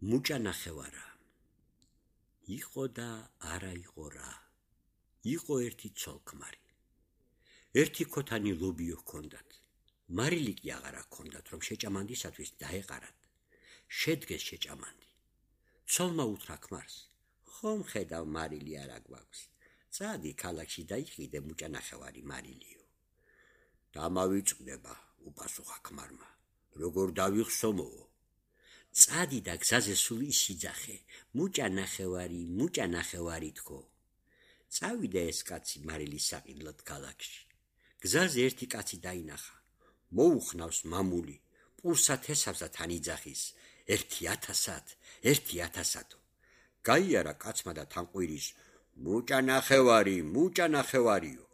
მუჭა ნახევარა. იყო და არა იყო რა. იყო ერთი ცოლქმარი. ერთი ქოთანი ლობიო ჰქონდათ. მარილი კი აღარა ჰქონდათ, რომ შეჭამანდისათვის დაეყარათ. შედგეს შეჭამანდი. ცოლმა უთხრა ქმარს: ხომ ხედავ მარილი არა გვაქვს. წადი ქალაქში დაიხიდე მუჭა ნახევარი მარილიო. დამავიწყდება, უპასუხა ქმარმა. როგორ დავიხსომოო? წადი და გზაზე სულ ისიძახე, მუჭა ნახევარი თქო. წავიდა ეს კაცი მარილის საყიდლად ქალაქში. გზაზე ერთი კაცი დაინახა. მოუხნავს მამული, პურსა თესავსა თან იძახის, 1000-ათო. გაიარა კაცმა და თანყვირის: მუჭა ნახევარიო.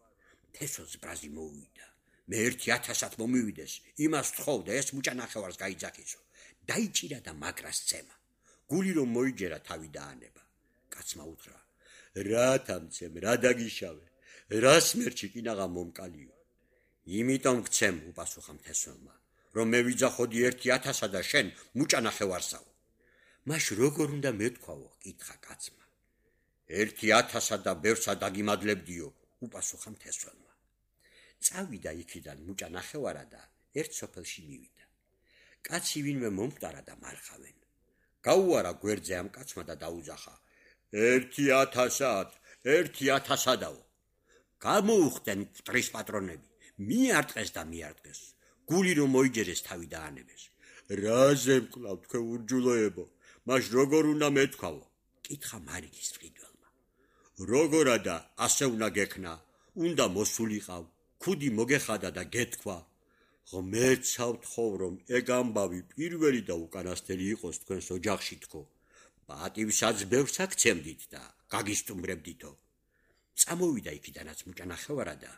თესოს ბრაზი მოუვიდა. მე 1000-ად მომივიდეს, იმას თხოვდა ეს მუჭა ნახევარს გაიძახისო. დაიჭირა და მაგრას წემა. გული რომ მოიჯერა თავი დაანება. კაცმა უთხრა: რა თამცემ, რა დაგიშავე, რას მერჩი კინაღა მომკალიო. იმიტომ გცემ, უპასუხა მთესველმა, რომ მე ვიძახოდი 1000-ად და შენ მუჭა ნახევარსაო. მაშ როგორ უნდა მეთქვაო? კითხა კაცმა. 1000-ად და ბევრსა დაგიმადლებდიო, უპასუხა მთესველმა. წავიდა იქიდან მუჭა ნახევარა და ერთ სოფელში მივიდა. კაცი ვინმე მომკვდარა და მარხავენ. გაუარა გვერდზე ამ კაცმა და დაუძახა: 1000-ადაო. გამოუხდნენ მკვდრის პატრონები. მიარტყეს და მიარტყეს. გული რომ მოიჯერეს თავი დაანებეს. რაზე მკლავ თქვენ ურჯულოებო? მაშ როგორ უნდა მეთქვაო? კითხა მარილის მყიდველმა. როგორა და ასე უნდა გექნა? უნდა მოსულიყავ, ქუდი მოგეხადა და გეთქვა. ღმერთსა ვთხოვ, რომ ეგ ამბავი პირველი და უკანასკნელი იყოს თქვენს ოჯახში თქო. პატივსაც ბევრს აქცემდით და გაგისტუმრებდითო. წამოვიდა იქიდანაც მუჭა ნახევარა და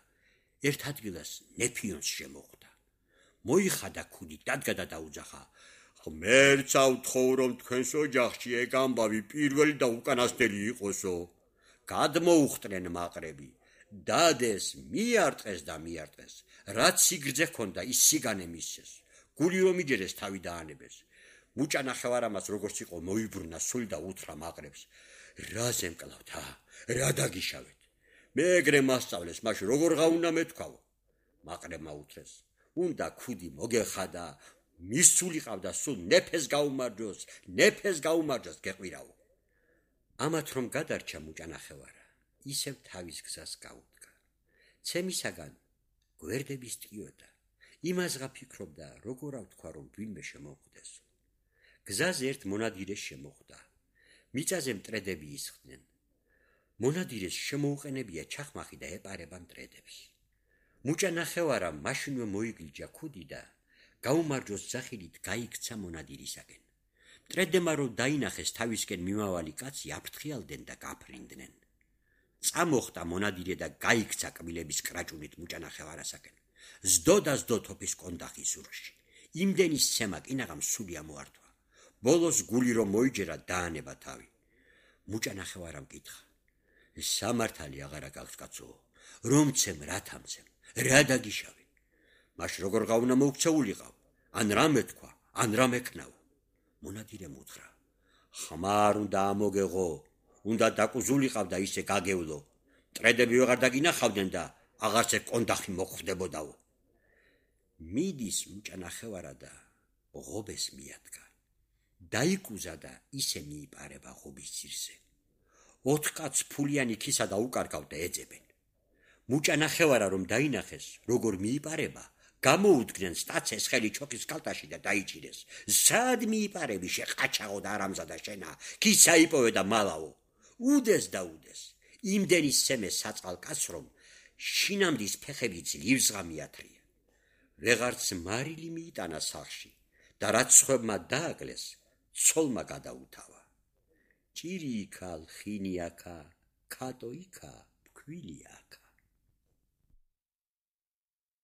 ერთ ადგილას ნეფიონს შემოხვდა. მოიხადა ქუდით, დადგა და დაუძახა: ღმერთსა ვთხოვ, რომ თქვენს ოჯახში ეგ ამბავი პირველი და უკანასკნელი იყოსო. გადმოუხტნენ მაყრები. დადეს, მიარტყეს და მიარტყეს. რაც სიგრძე ჰქონდა, ის სიგანე მისცეს. გული რომ იჯერეს თავი დაანებეს. მუჭა ნახევარამაც როგორც იყო მოიბრუნა სული და უთხრა მაყრებს: რაზე მკლავთ, რა დაგიშავეთ? მე ეგრე მასწავლეს, მაშ როგორ გაუნდა მეთქვაო? მაყრებმა უთხრეს: უნდა ქუდი მოგეხადა, მისულიყავდა სულ ნეფეს გაუმარჯოს გეყვირაო. ამათ რომ გადარჩა მუჭა ნახევარა, ისევ თავის გზას გაუდგა. ცემისაგან გვერდების ტკიოდა. იმასღა ფიქრობდა, როგორ ავთქვა, რომ ვინმე შემოხვდეს. გზაზე ერთ მონადირეს შემოხვდა. მიწაზე მტრედები ისხდნენ. მონადირეს შემოუყენებია ჩახმახი და ეპარება მტრედებს. მუჭა ნახევარა მაშინვე მოიგლიჯა ქუდი და გაუმარჯოს ძახილით გაიქცა მონადირისაკენ. მტრედებმა რომ დაინახეს თავისკენ მიმავალი კაცი, აფრთხიალდნენ და გაფრინდნენ. წამოხტა მონადირე და გაიქცა კბილების კრაჭუნით მუჭა ნახევარასაკენ. ზდო თოფის კონდახის ზურგში. იმდენი სცემა კინაღამ სული ამოართვა. ბოლოს გული რომ მოიჯერა დაანება თავი. მუჭა ნახევარამ კითხა: სამართალი აღარა გაქვს კაცო, რომ ცემ, რა თამცემ, რა დაგიშავე? მაშ როგორ გაუნა მოუქცეულიყავ? ან რა მეთქვა, ან რა მექნაო? მონადირემ უთხრა: ხმარ უნდა ამოგეღო, უნდა დაკუზულიყავ და ისე გაგევლო. მტრედები ვეღარ დაგინახავდნენ და აღარც ეგ კონდახი მოხვდებოდაო. მიდის მუჭა ნახევარა და ღობეს მიადგა. დაიკუზა და ისე მიიპარება ღობის ძირზე. 4 კაცს ფულიანი ქისა და უკარგავ და ეძებენ. მუჭა ნახევარა რომ დაინახეს, როგორ მიიპარება, გამოუდგნენ სტაცეს ხელი ჩოქის კალტაში და დაიჭირეს. სად მიიპარები, შეყაჩაღო და არამზადა შენა, ქისა იპოვე და მალაო. უდეს და უდეს. იმდენი სცემეს საწყალ კაცს, რომ შინამდის ფეხები ძლივსღა მიათრია. ვეღარც მარილი მიიტანა სახლში და რაც სხვებმა დააკლეს, ცოლმა გადაუთავა. ჭირი იქა, ლხინი აქა, ქატო იქა, ფქვილი აქა.